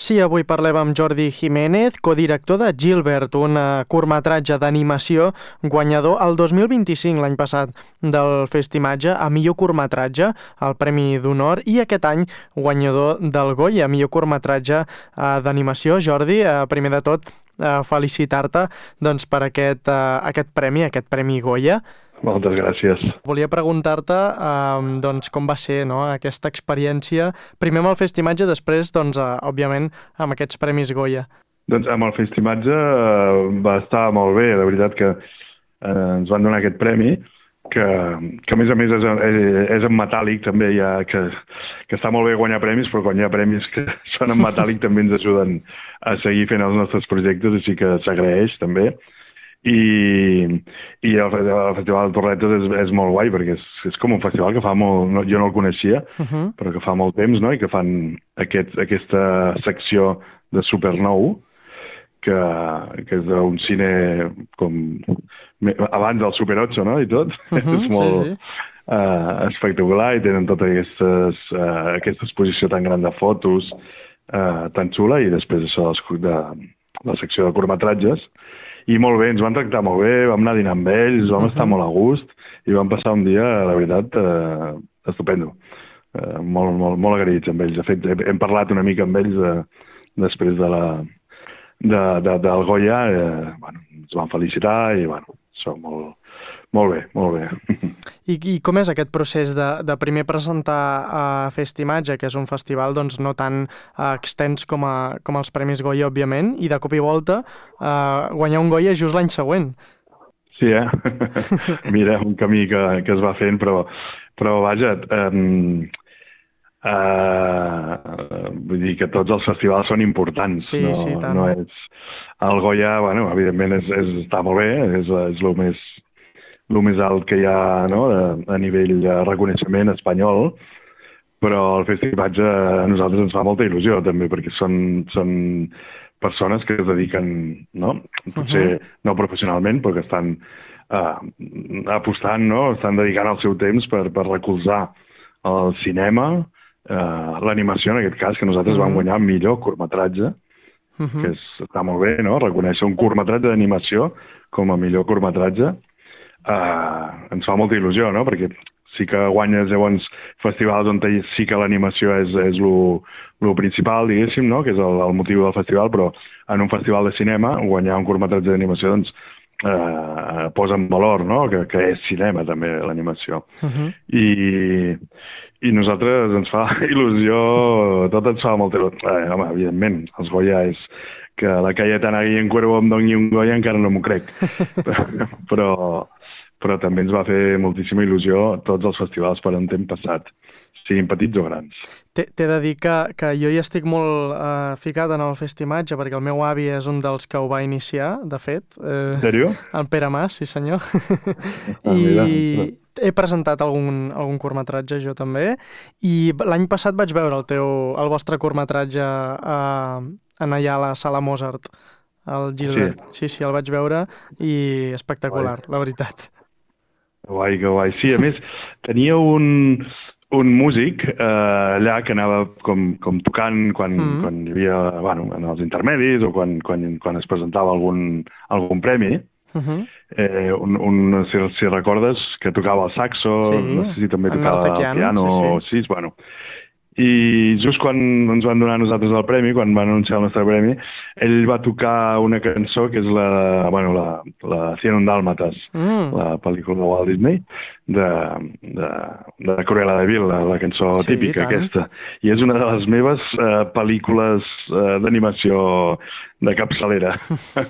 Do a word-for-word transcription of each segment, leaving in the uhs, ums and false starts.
Sí, avui parlem amb Jordi Jiménez, codirector de Gilbert, un uh, curtmetratge d'animació guanyador el dos mil vint-i-cinc, l'any passat, del Festimatge a millor curtmetratge, el Premi d'Honor, i aquest any guanyador del Goya, millor curtmetratge uh, d'animació. Jordi, uh, primer de tot, uh, felicitar-te doncs, per aquest, uh, aquest premi, aquest Premi Goya. Moltes gràcies. Volia preguntar-te um, doncs, com va ser, no?, aquesta experiència, primer amb el Festimatge, després, doncs, uh, òbviament, amb aquests Premis Goya. Doncs amb el Festimatge uh, va estar molt bé, la veritat que uh, ens van donar aquest premi, que, que a més a més és, és en metàl·lic també, ja, que, que està molt bé guanyar premis, però quan hi ha premis que són en metàl·lic també ens ajuden a seguir fent els nostres projectes, així que s'agraeix també. I, i el, el Festival de Torretes és, és molt guai perquè és, és com un festival que fa molt, no, jo no el coneixia, uh-huh. però que fa molt temps, no?, i que fan aquest, aquesta secció de Supernou, que, que és d'un cine com abans del Super ocho, no?, i tot. Uh-huh, és molt sí, sí. Uh, espectacular, i tenen tota aquestes, uh, aquesta exposició tan gran de fotos, uh, tan xula, i després això de la secció de curtmetratges. I molt bé, ens van tractar molt bé, vam anar a dinar amb ells, vam uh-huh. estar molt a gust i vam passar un dia, la veritat, eh, estupendo. Eh, molt, molt, molt agraïts amb ells. De fet, hem parlat una mica amb ells eh, després de la, de, de, del Goya, eh, bueno, ens van felicitar i bueno, això molt, molt bé, molt bé. I, I com és aquest procés de, de primer presentar a Festimatge, que és un festival doncs, no tan uh, extens com, a, com els Premis Goya, òbviament, i de cop i volta uh, guanyar un Goya just l'any següent? Sí, eh? Mira, un camí que, que es va fent, però, però vaja, um, uh, vull dir que tots els festivals són importants. Sí, no, sí, tant. No és, el Goya, bueno, evidentment és, és, està molt bé, és, és el més... el més alt que hi ha, no?, a, a nivell de reconeixement espanyol, però el Festimatge a nosaltres ens fa molta il·lusió també, perquè són, són persones que es dediquen, no?, potser uh-huh. no professionalment, però que estan uh, apostant, no?, estan dedicant el seu temps per, per recolzar el cinema, uh, l'animació en aquest cas, que nosaltres uh-huh. vam guanyar millor curtmetratge, uh-huh. que és, està molt bé, no?, reconèixer un curtmetratge d'animació com a millor curtmetratge. Uh, ens fa molta il·lusió, no?, perquè sí que guanyes llavors festivals on sí que l'animació és, és lo principal, diguéssim, no?, que és el, el motiu del festival, però en un festival de cinema guanyar un curtmetratge d'animació doncs uh, posa en valor, no?, que, que és cinema també l'animació. Uh-huh. I, i nosaltres ens fa il·lusió, tot ens fa molta il·lusió. Eh, home, evidentment, els Goya és que la Cayetana Guillén Cuervo em doni un Goya encara no m'ho crec, però, però també ens va fer moltíssima il·lusió tots els festivals per on hem passat, siguin petits o grans. T'he de dir que, que jo hi estic molt uh, ficat en el Festimatge, perquè el meu avi és un dels que ho va iniciar, de fet. Eh, en sèrio? El Pere Mas, sí senyor. Ah, I mira. He presentat algun, algun curtmetratge jo també, i l'any passat vaig veure el teu, el vostre curtmetratge a, en allà a la Sala Mozart, el Gilbert. Sí, sí, sí, el vaig veure i espectacular, guai. La veritat. Guai, que guai. Sí, a més, tenia un... un músic eh, allà que anava com, com tocant quan, mm. quan hi havia, bueno, en els intermedis o quan, quan, quan es presentava algun, algun premi. Uh-huh. eh, un, un, si, si recordes, que tocava el saxo, sí. no sé si també tocava el piano, sí, sí. sí, bueno. I just quan ens van donar a nosaltres el premi, quan van anunciar el nostre premi, ell va tocar una cançó que és la, bueno, la, la cent un dàlmates, mm. la pel·lícula de Walt Disney, de, de, de Cruella de Vil, la, la cançó sí, típica aquesta. I és una de les meves uh, pel·lícules uh, d'animació de capçalera.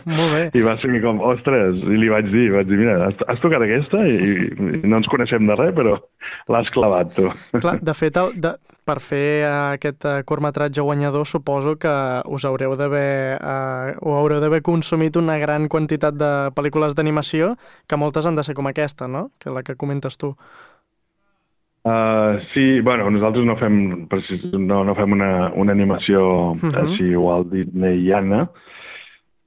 Molt bé. I va ser com, ostres, i li vaig dir, vaig dir, mira, has, has tocat aquesta i, i no ens coneixem de res, però l'has clavat, tu. Clar, de fet, el, de, per fer aquest uh, curtmetratge guanyador suposo que us haureu d'haver uh, o haureu d'haver consumit una gran quantitat de pel·lícules d'animació, que moltes han de ser com aquesta, no?, que la que comentes tu. Uh, sí, bueno, nosaltres no fem, no, no fem una, una animació uh-huh. així Walt Disneyiana,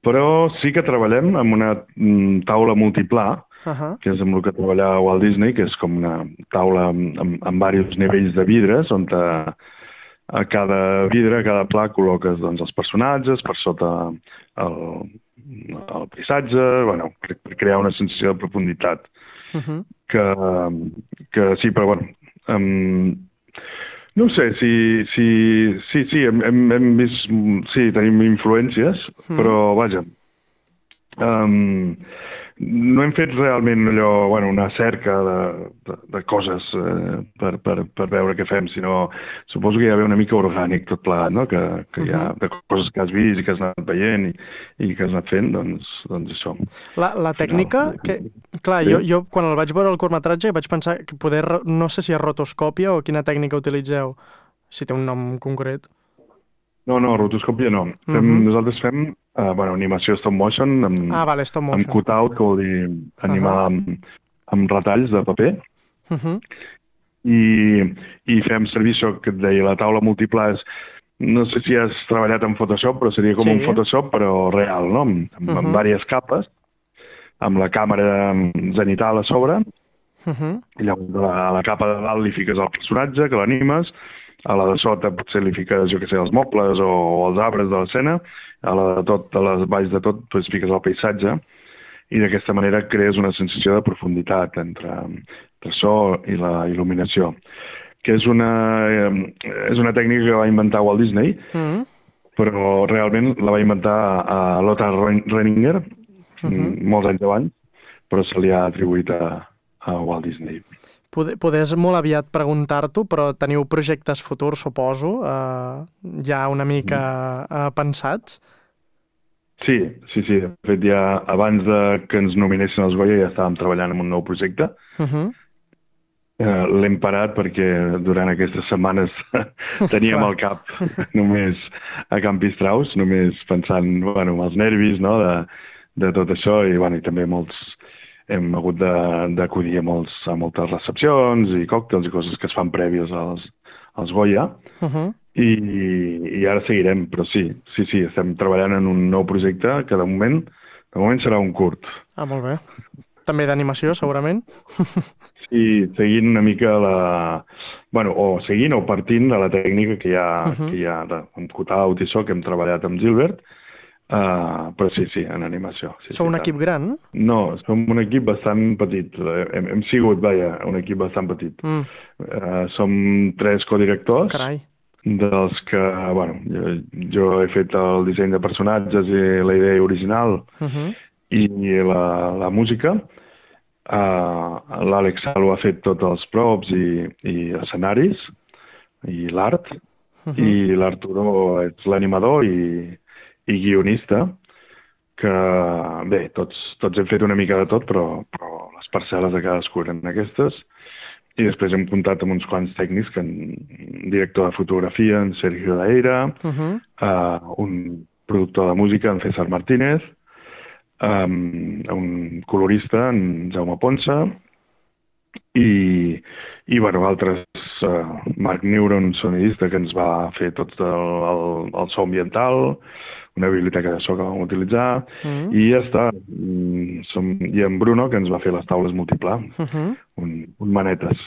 però sí que treballem amb una mm, taula multiplà, uh-huh. que és amb el que treballava Walt Disney, que és com una taula amb, amb, amb diversos nivells de vidres, on te, a cada vidre, a cada pla, col·loques doncs, els personatges, per sota el, el paisatge, bueno, per, per crear una sensació de profunditat. Uh -huh. Que, que sí, però bueno... Um, no ho sé, si, si, sí, sí, hem, hem, hem vist... Sí, tenim influències, mm. però, vaja, um, no hem fet realment allò, bueno, una cerca de, de, de coses eh, per, per, per veure què fem, sinó suposo que hi ha una mica orgànic tot plegat, no? Que, que hi ha de coses que has vist i que has anat veient i, i que has anat fent, doncs, doncs això. La, la tècnica, que, clar, sí. jo, jo quan el vaig veure el curtmetratge vaig pensar que poder, no sé si és rotoscòpia o quina tècnica utilitzeu, si té un nom concret. No, no, rotoscòpia no. Fem, uh -huh. Nosaltres fem uh, bueno, animació stop motion, amb, ah, vale, stop motion. amb cut-out, que vol dir animar uh -huh. amb, amb retalls de paper. Uh -huh. I, I fem servir això que et deia, la taula múltiples. No sé si has treballat en Photoshop, però seria com sí. un Photoshop, però real, no? Amb, amb, uh -huh. amb diverses capes, amb la càmera zenital a sobre, uh -huh. i llavors a la capa de dalt li fiques el personatge, que l'animes, a la de sota potser li fiques, jo què sé, els mobles o, o els arbres de l'escena, a la de tot, a les valls de tot, doncs fiques el paisatge, i d'aquesta manera crees una sensació de profunditat entre, entre so i la il·luminació, que és una, és una tècnica que va inventar Walt Disney, mm. però realment la va inventar a Lothar Renninger, mm-hmm. molts anys abans, però se li ha atribuït a, a Walt Disney. Poder és molt aviat preguntar-t'ho, però teniu projectes futurs, suposo, eh, ja una mica eh, pensats? Sí, sí, sí. De fet, ja abans de que ens nominessin als Goya ja estàvem treballant en un nou projecte. Uh-huh. eh, L'hem parat perquè durant aquestes setmanes teníem el cap només a Campistraus, només pensant, bueno, en els nervis, no?, de, de tot això, i, bueno, i també molts... hem hagut d'acudir a, molts, a moltes recepcions i còctels i coses que es fan prèvies als, als Goya. Uh-huh. I, i ara seguirem, però sí, sí, sí, estem treballant en un nou projecte que de moment, de moment serà un curt. Ah, molt bé. També d'animació, segurament? Sí, seguint una mica la... Bueno, o seguint o partint de la tècnica que hi ha, uh-huh. que hi ha de, amb cut-out i això, que hem treballat amb Gilbert. Uh, però sí, sí, en animació. Sí, Sou sí, un tant. equip gran? No, som un equip bastant petit. Hem, hem sigut, vaja, un equip bastant petit. Mm. Uh, som tres codirectors. Carai. Dels que, bueno, jo, jo he fet el disseny de personatges i la idea original uh-huh. i la, la música. Uh, L'Àlex Salo ha fet tots els props i, i escenaris i l'art. Uh-huh. I l'Arturo és l'animador i i guionista, que bé, tots, tots hem fet una mica de tot, però, però les parcel·les de cadascú eren aquestes, i després hem comptat amb uns quants tècnics, que un director de fotografia, en Sergio Daeira, uh-huh. uh, un productor de música, en César Martínez, um, un colorista, en Jaume Ponsa, i, i bueno, altres, uh, Marc Neuron, un sonidista que ens va fer tot el, el, el so ambiental, una biblioteca de so que vam utilitzar, mm. i ja està. Som, I en Bruno, que ens va fer les taules múltiples, uh-huh. un, un manetes.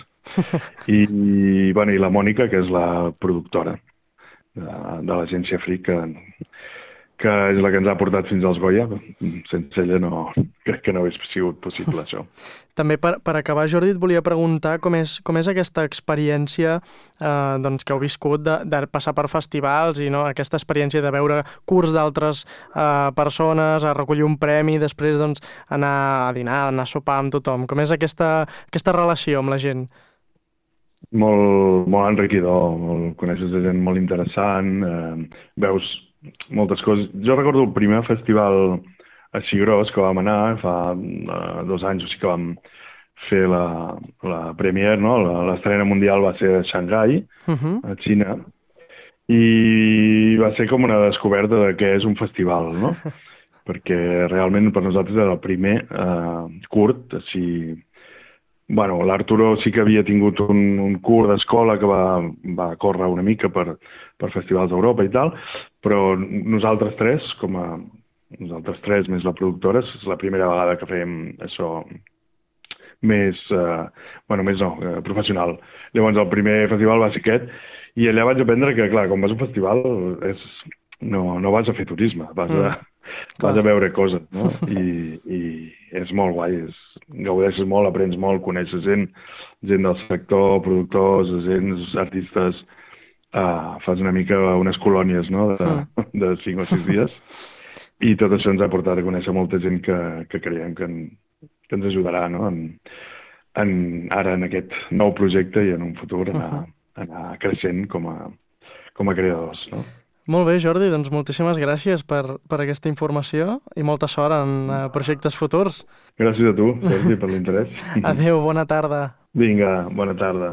I, i, bueno, I la Mònica, que és la productora de, de l'agència Fric, que, que és la que ens ha portat fins als Goya. Sense ella no, crec que no hauria sigut possible, això. També per, per acabar, Jordi, et volia preguntar com és, com és aquesta experiència eh, doncs, que heu viscut de, de passar per festivals i no, aquesta experiència de veure curts d'altres eh, persones, a recollir un premi i després doncs, anar a dinar, anar a sopar amb tothom. Com és aquesta, aquesta relació amb la gent? Molt, molt enriquidor, molt, coneixes gent molt interessant, eh, veus moltes coses. Jo recordo el primer festival així gros que vam anar, fa uh, dos anys o sigui que vam fer la, la premiere, no? L'estrena mundial va ser a Xangai, uh-huh. a Xina, i va ser com una descoberta de què és un festival, no? Perquè realment per nosaltres era el primer uh, curt, així... Bueno, l'Arturo sí que havia tingut un, un curt d'escola que va, va córrer una mica per, per festivals d'Europa i tal, però nosaltres tres, com a nosaltres tres més la productora, és la primera vegada que fèiem això més, eh, bueno, més no, eh, professional. Llavors el primer festival va ser aquest I allà vaig aprendre que, clar, quan vas a un festival és, no, no vas a fer turisme, vas a, mm. vas a veure coses, no? I, i és molt guai, és, gaudeixes molt, aprens molt, coneixes gent, gent del sector, productors, agents, artistes, uh, fas una mica unes colònies, no?, de, mm. de cinc o sis dies, i tot això ens ha portat a conèixer molta gent que, que creiem que, en, que ens ajudarà, no?, en, en, ara en aquest nou projecte i en un futur anar, anar creixent com a, com a creadors, no? Molt bé, Jordi, doncs moltíssimes gràcies per, per aquesta informació i molta sort en uh, projectes futurs. Gràcies a tu, Jordi, per l'interès. Adéu, bona tarda. Vinga, bona tarda.